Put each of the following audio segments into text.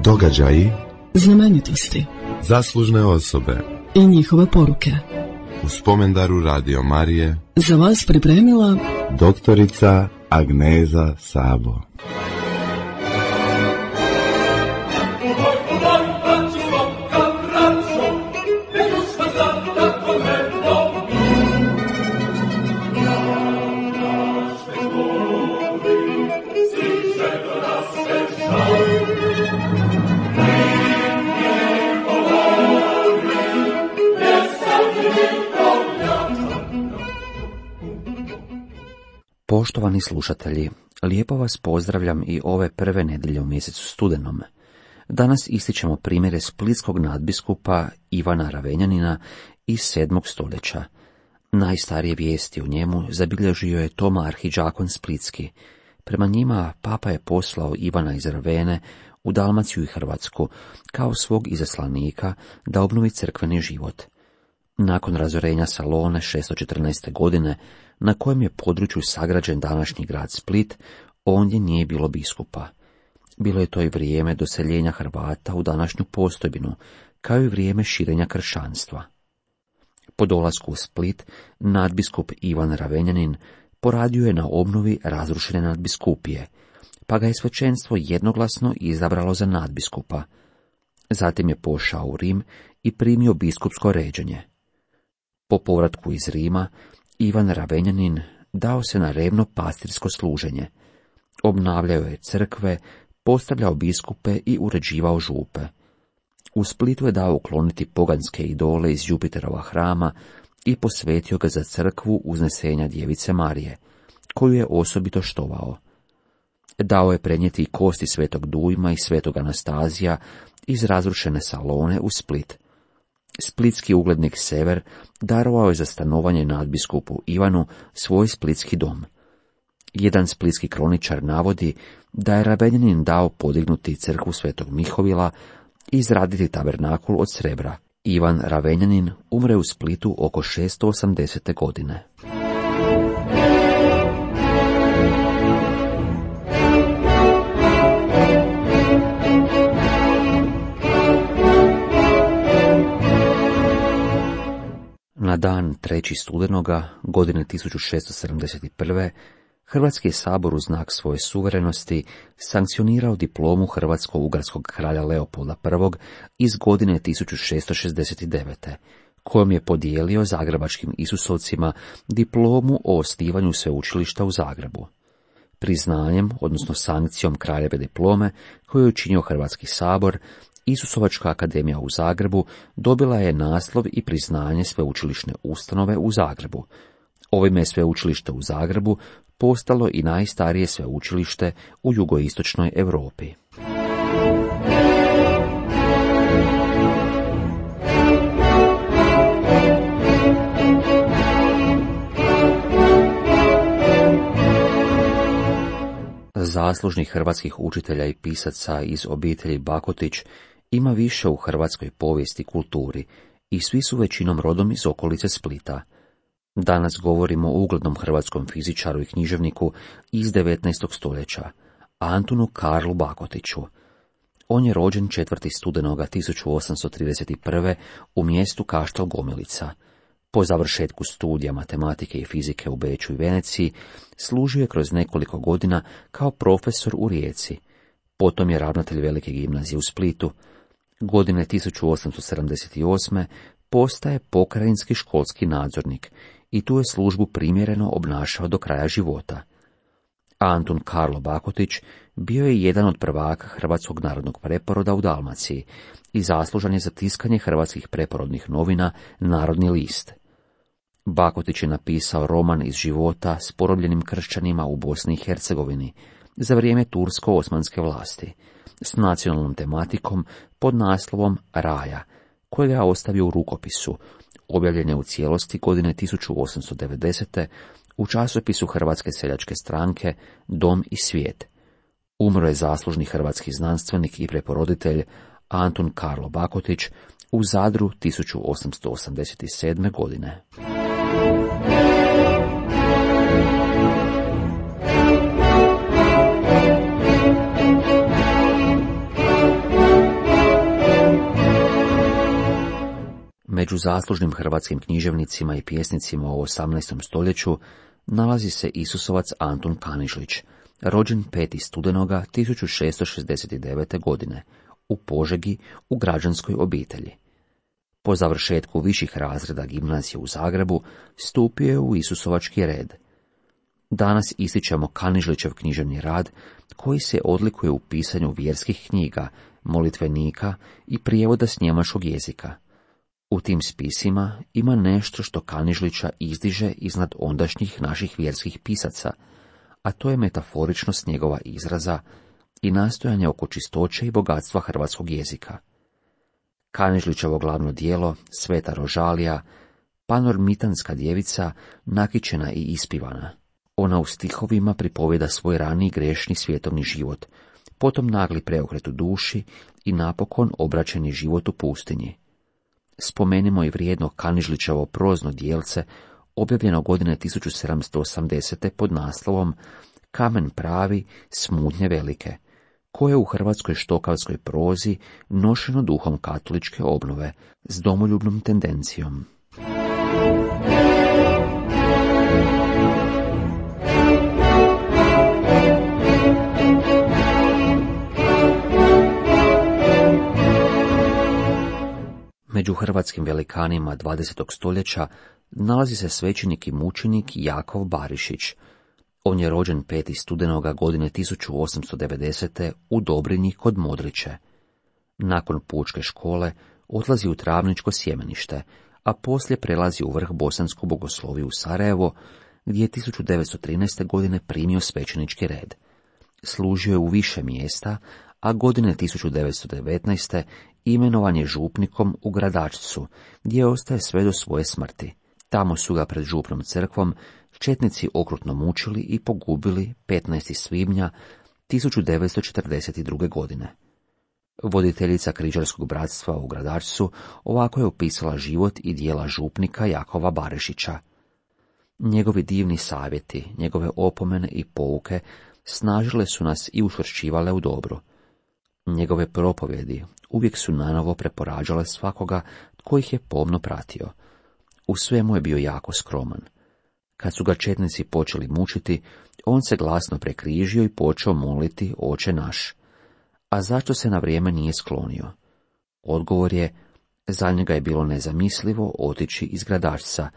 Događaji, znamenitosti, zaslužne osobe i njihove poruke. U spomendaru Radio Marije Za vas pripremila doktorica Agneza Sabo. Poštovani slušatelji, lijepo vas pozdravljam i ove prve nedjelje u mjesecu studenom. Danas ističemo primjere splitskog nadbiskupa Ivana Ravenjanina iz 7. stoljeća. Najstarije vijesti o njemu zabilježio je Toma Arhidžakon Splitski. Prema njima papa je poslao Ivana iz Ravene u Dalmaciju i Hrvatsku kao svog izaslanika da obnovi crkveni život. Nakon razorenja Salone 614. godine, na kojem je području sagrađen današnji grad Split, ondje nije bilo biskupa. Bilo je to i vrijeme doseljenja Hrvata u današnju Postojbinu, kao i vrijeme širenja kršćanstva. Po dolasku u Split, nadbiskup Ivan Ravenjanin poradio je na obnovi razrušene nadbiskupije, pa ga je svećenstvo jednoglasno izabralo za nadbiskupa. Zatim je pošao u Rim i primio biskupsko ređenje. Po povratku iz Rima, Ivan Ravenjanin dao se na revno pastirsko služenje. Obnavljao je crkve, postavljao biskupe i uređivao župe. U Splitu je dao ukloniti poganske idole iz Jupiterova hrama i posvetio ga za crkvu Uznesenja Djevice Marije, koju je osobito štovao. Dao je prenijeti i kosti svetog Dujma i svetog Anastazija iz razrušene Salone u Split. Splitski uglednik Sever darovao je za stanovanje nadbiskupu Ivanu svoj splitski dom. Jedan splitski kroničar navodi da je Ravenjanin dao podignuti crkvu svetog Mihovila i izraditi tabernakul od srebra. Ivan Ravenjanin umre u Splitu oko 680. godine. Na dan 3. studenoga godine 1671. Hrvatski sabor u znak svoje suverenosti sankcionirao diplomu hrvatsko-ugarskog kralja Leopolda I iz godine 1669. kojom je podijelio zagrebačkim Isusovcima diplomu o osnivanju sveučilišta u Zagrebu. Priznanjem, odnosno sankcijom kraljeve diplome, koju je učinio Hrvatski sabor, Isusovačka akademija u Zagrebu dobila je naslov i priznanje sveučilišne ustanove u Zagrebu. Ovime je sveučilište u Zagrebu postalo i najstarije sveučilište u jugoistočnoj Europi. Zaslužnih hrvatskih učitelja i pisaca iz obitelji Bakotić ima više u hrvatskoj povijesti i kulturi i svi su većinom rodom iz okolice Splita. Danas govorimo o uglednom hrvatskom fizičaru i književniku iz 19. stoljeća, Antunu Karlu Bakotiću. On je rođen 4. studenoga 1831. u mjestu Kaštel Gomilica. Po završetku studija matematike i fizike u Beču i Veneciji, služio je kroz nekoliko godina kao profesor u Rijeci. Potom je ravnatelj Velike gimnazije u Splitu. Godine 1878. postaje pokrajinski školski nadzornik i tu je službu primjereno obnašao do kraja života. Antun Karlo Bakotić bio je jedan od prvaka Hrvatskog narodnog preporoda u Dalmaciji i zaslužan je za tiskanje hrvatskih preporodnih novina Narodni list. Bakotić je napisao roman iz života s porobljenim kršćanima u Bosni i Hercegovini za vrijeme tursko-osmanske vlasti, s nacionalnom tematikom pod naslovom Raja, kojega je ostavio u rukopisu, objavljen je u cijelosti godine 1890. u časopisu Hrvatske seljačke stranke Dom i svijet. Umro je zaslužni hrvatski znanstvenik i preporoditelj Antun Karlo Bakotić u Zadru 1887. godine. Među zaslužnim hrvatskim književnicima i pjesnicima u 18. stoljeću nalazi se Isusovac Antun Kanižlić, rođen 5. studenoga 1669. godine, u Požegi u građanskoj obitelji. Po završetku viših razreda gimnazije u Zagrebu stupio je u Isusovački red. Danas ističemo Kanižlićev književni rad, koji se odlikuje u pisanju vjerskih knjiga, molitvenika i prijevoda s njemačkog jezika. U tim spisima ima nešto što Kanižlića izdiže iznad ondašnjih naših vjerskih pisaca, a to je metaforičnost njegova izraza i nastojanje oko čistoće i bogatstva hrvatskog jezika. Kanižlićevo glavno djelo, Sveta Rožalija, panormitanska djevica, nakićena i ispivana. Ona u stihovima pripovjeda svoj rani grešni svjetovni život, potom nagli preokret u duši i napokon obraćeni život u pustinji. Spomenimo i vrijedno Kanižlićevo prozno djelce, objavljeno godine 1780. pod naslovom Kamen pravi, smutnje velike, koje u hrvatskoj štokavskoj prozi nošeno duhom katoličke obnove s domoljubnom tendencijom. Među hrvatskim velikanima 20. stoljeća nalazi se svećenik i mučenik Jakov Barišić. On je rođen 5. studenoga godine 1890. u Dobrinji kod Modriće. Nakon pučke škole odlazi u Travničko sjemenište, a poslije prelazi u vrh bosansku bogosloviju u Sarajevo, gdje je 1913. godine primio svećenički red. Služio je u više mjesta, a godine 1919. imenovan je župnikom u Gradačcu, gdje ostaje sve do svoje smrti. Tamo su ga pred župnom crkvom četnici okrutno mučili i pogubili 15. svibnja 1942. godine. Voditeljica križarskog bratstva u Gradačcu ovako je opisala život i djela župnika Jakova Barišića. Njegovi divni savjeti, njegove opomene i pouke snažile su nas i učvršćivale u dobru. Njegove propovjedi uvijek su nanovo preporađale svakoga tko ih je pomno pratio. U svemu je bio jako skroman. Kad su ga četnici počeli mučiti, on se glasno prekrižio i počeo moliti Oče naš. A zašto se na vrijeme nije sklonio? Odgovor je, za njega je bilo nezamislivo otići iz Gradačca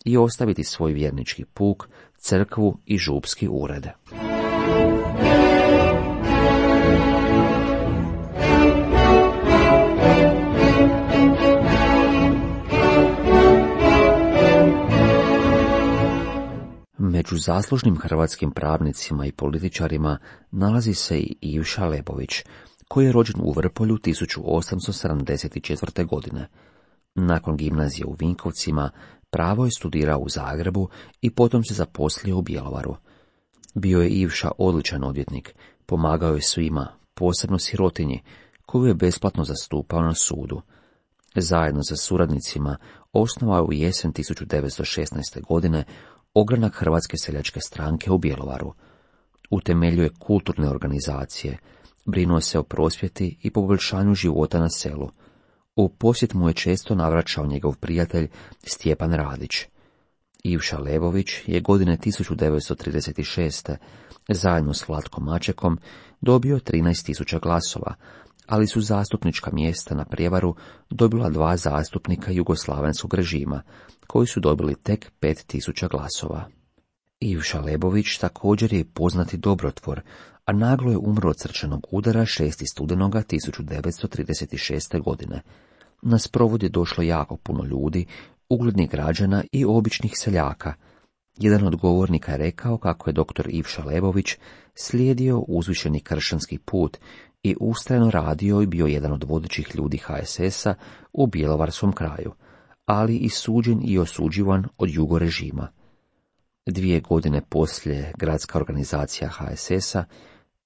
i ostaviti svoj vjernički puk, crkvu i župski ured. Među zaslužnim hrvatskim pravnicima i političarima nalazi se i Ivša Lebović, koji je rođen u Vrpolju 1874. godine. Nakon gimnazije u Vinkovcima, pravo je studirao u Zagrebu i potom se zaposlio u Bjelovaru. Bio je Ivša odličan odvjetnik, pomagao je svima, posebno sirotinji, koju je besplatno zastupao na sudu. Zajedno sa suradnicima osnovao je u jesen 1916. godine ogranak Hrvatske seljačke stranke u Bjelovaru. Utemeljuje kulturne organizacije, brinuo se o prosvjeti i poboljšanju života na selu. U posjet mu je često navraćao njegov prijatelj Stjepan Radić. Ivša Lebović je godine 1936. zajedno s Vlatkom Mačekom dobio 13.000 glasova, ali su zastupnička mjesta na prijevaru dobila 2 zastupnika jugoslavenskog režima, koji su dobili tek 5.000 glasova. Ivša Lebović također je poznati dobrotvor, a naglo je umro od srčanog udara 6. studenoga 1936. godine. Na sprovod je došlo jako puno ljudi, uglednih građana i običnih seljaka. Jedan od govornika je rekao kako je dr. Ivša Lebović slijedio uzvišeni kršćanski put i ustrajno radio i bio jedan od vodećih ljudi HSS-a u bjelovarskom kraju, ali i suđen i osuđivan od jugo režima. 2 godine poslije gradska organizacija HSS-a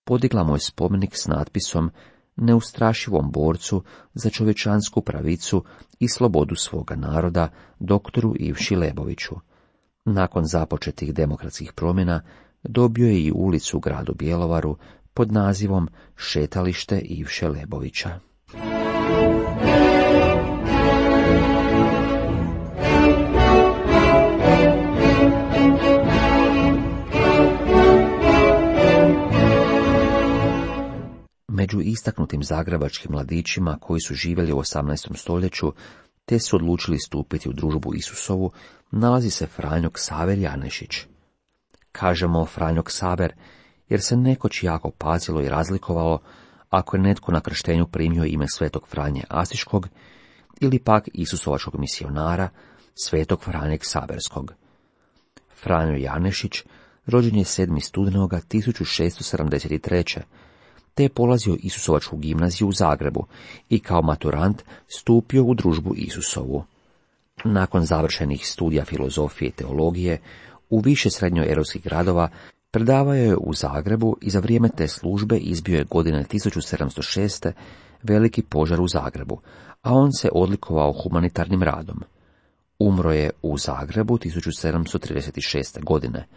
podigla mu je spomenik s natpisom neustrašivom borcu za čovječansku pravicu i slobodu svoga naroda, doktoru Ivši Leboviću. Nakon započetih demokratskih promjena dobio je i ulicu u gradu Bjelovaru pod nazivom Šetalište Ivše Lebovića. Među istaknutim zagrebačkim mladićima koji su živjeli u 18. stoljeću, te su odlučili stupiti u družbu Isusovu, nalazi se Franjo Ksaver Janešić. Kažemo Franjo Ksaver, jer se nekoć jako pazilo i razlikovalo ako je netko na krštenju primio ime svetog Franje Asiškog ili pak Isusovačkog misionara, svetog Franje Ksaverskog. Franjo Janešić rođen je 7. studenoga 1673. te je polazio Isusovačku gimnaziju u Zagrebu i kao maturant stupio u družbu Isusovu. Nakon završenih studija filozofije i teologije u više srednjoeuropskih gradova predavao je u Zagrebu i za vrijeme te službe izbio je godine 1706. veliki požar u Zagrebu, a on se odlikovao humanitarnim radom. Umro je u Zagrebu 1736. godine.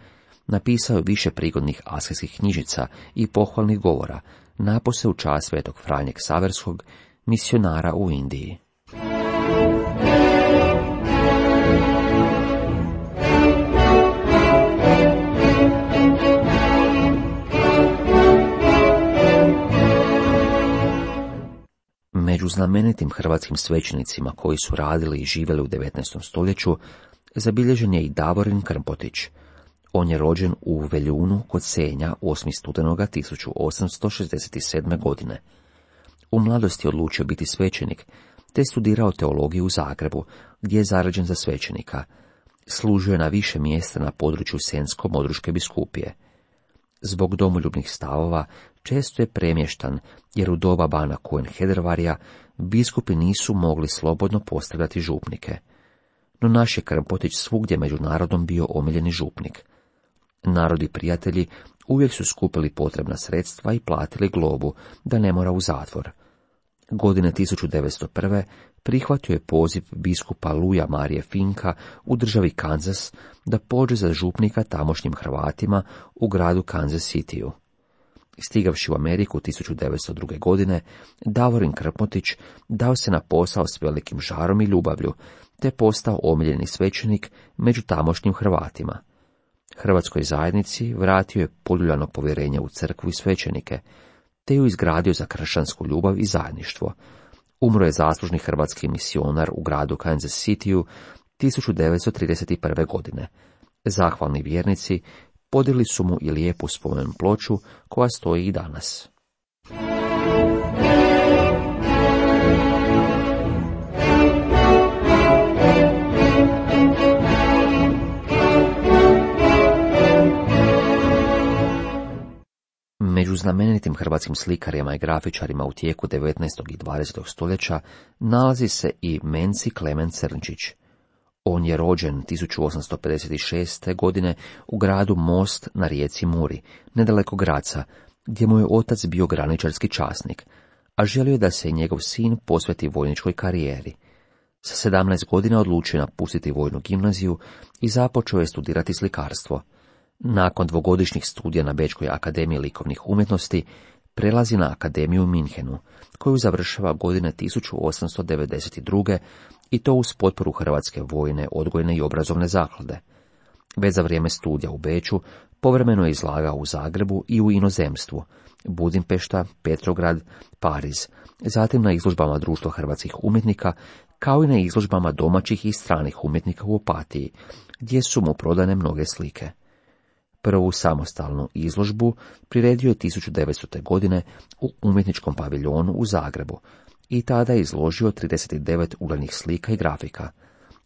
Napisao je više prigodnih asketskih knjižica i pohvalnih govora, napose u čast svetog Franje Ksaverskog, misionara u Indiji. Među znamenitim hrvatskim svećenicima koji su radili i živjeli u 19. stoljeću zabilježen je i Davorin Krmpotić. On je rođen u Veljunu kod Senja 8. studenoga 1867. godine. U mladosti je odlučio biti svećenik, te studirao teologiju u Zagrebu, gdje je zarađen za svećenika. Služio je na više mjesta na području Senjsko-Modruške biskupije. Zbog domoljubnih stavova često je premještan, jer u doba bana Cohen-Hedervarija biskupi nisu mogli slobodno postavljati župnike. No naš je Krmpotić svugdje među narodom bio omiljeni župnik. Narod i prijatelji uvijek su skupili potrebna sredstva i platili globu, da ne mora u zatvor. Godine 1901. prihvatio je poziv biskupa Luja Marije Finka u državi Kansas da pođe za župnika tamošnjim Hrvatima u gradu Kansas Cityu. Stigavši u Ameriku 1902. godine, Davorin Krmpotić dao se na posao s velikim žarom i ljubavlju, te postao omiljeni svećenik među tamošnjim Hrvatima. Hrvatskoj zajednici vratio je poljuljano povjerenje u crkvu i svećenike, te ju izgradio za kršćansku ljubav i zajedništvo. Umro je zaslužni hrvatski misionar u gradu Kansas Cityu 1931. godine. Zahvalni vjernici podigli su mu i lijepu spomen ploču koja stoji i danas. Među znamenitim hrvatskim slikarima i grafičarima u tijeku 19. i 20. stoljeća nalazi se i Menci Klemen Crnčić. On je rođen 1856. godine u gradu Most na rijeci Muri, nedaleko Graca, gdje mu je otac bio graničarski časnik, a želio je da se i njegov sin posveti vojničkoj karijeri. Sa 17 godina odlučio napustiti vojnu gimnaziju i započeo je studirati slikarstvo. Nakon dvogodišnjih studija na Bečkoj akademiji likovnih umjetnosti, prelazi na akademiju u Minhenu, koju završava godine 1892. i to uz potporu Hrvatske vojne, odgojne i obrazovne zaklade. Već za vrijeme studija u Beču povremeno je izlagao u Zagrebu i u inozemstvu, Budimpešta, Petrograd, Pariz, zatim na izložbama Društva hrvatskih umjetnika, kao i na izložbama domaćih i stranih umjetnika u Opatiji, gdje su mu prodane mnoge slike. Prvu samostalnu izložbu priredio je 1900. godine u umjetničkom paviljonu u Zagrebu i tada je izložio 39 uglednih slika i grafika.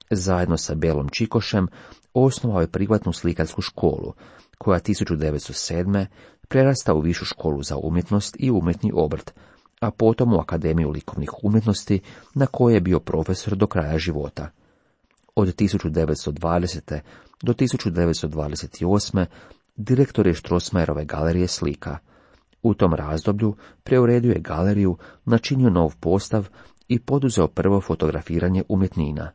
Zajedno sa Belom Čikošem osnovao je privatnu slikarsku školu, koja 1907. prerasta u Višu školu za umjetnost i umjetni obrt, a potom u Akademiju likovnih umjetnosti, na kojoj je bio profesor do kraja života. Od 1920. do 1928. direktor je Strossmayerove galerije slika. U tom razdoblju preuredio je galeriju, načinio nov postav i poduzeo prvo fotografiranje umjetnina.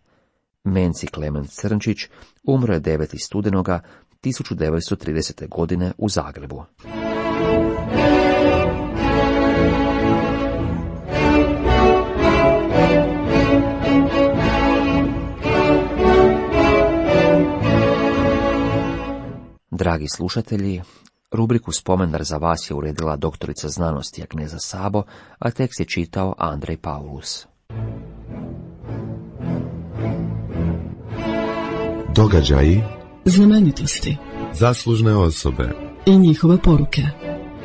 Menci Klemen Crnčić umro je 9. studenoga 1930. godine u Zagrebu. Dragi slušatelji, Rubriku Spomendar za vas je uredila doktorica znanosti Agneza Sabo, a tekst je čitao Andrej Paulus. Događaji, znamenitosti zaslužne osobe. i njihove poruke.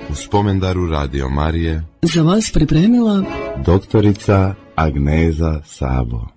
U Spomendaru Radio Marije Za vas pripremila doktorica Agneza Sabo.